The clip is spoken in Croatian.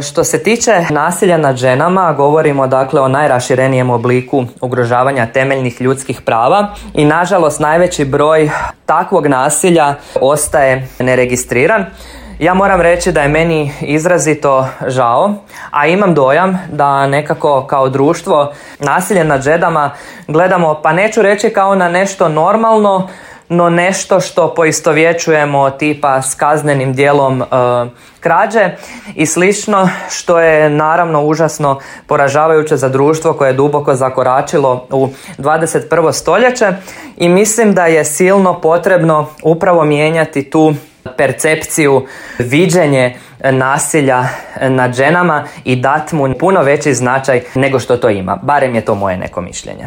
Što se tiče nasilja nad ženama, govorimo dakle o najraširenijem obliku ugrožavanja temeljnih ljudskih prava i nažalost najveći broj takvog nasilja ostaje neregistriran. Ja moram reći da je meni izrazito žao, a imam dojam da nekako kao društvo nasilje nad ženama gledamo, pa neću reći kao na nešto normalno, no nešto što poistovjećujemo tipa s kaznenim djelom krađe i slično, što je naravno užasno poražavajuće za društvo koje je duboko zakoračilo u 21. stoljeće i mislim da je silno potrebno upravo mijenjati tu percepciju, viđenje nasilja nad ženama i dati mu puno veći značaj nego što to ima. Barem je to moje neko mišljenje.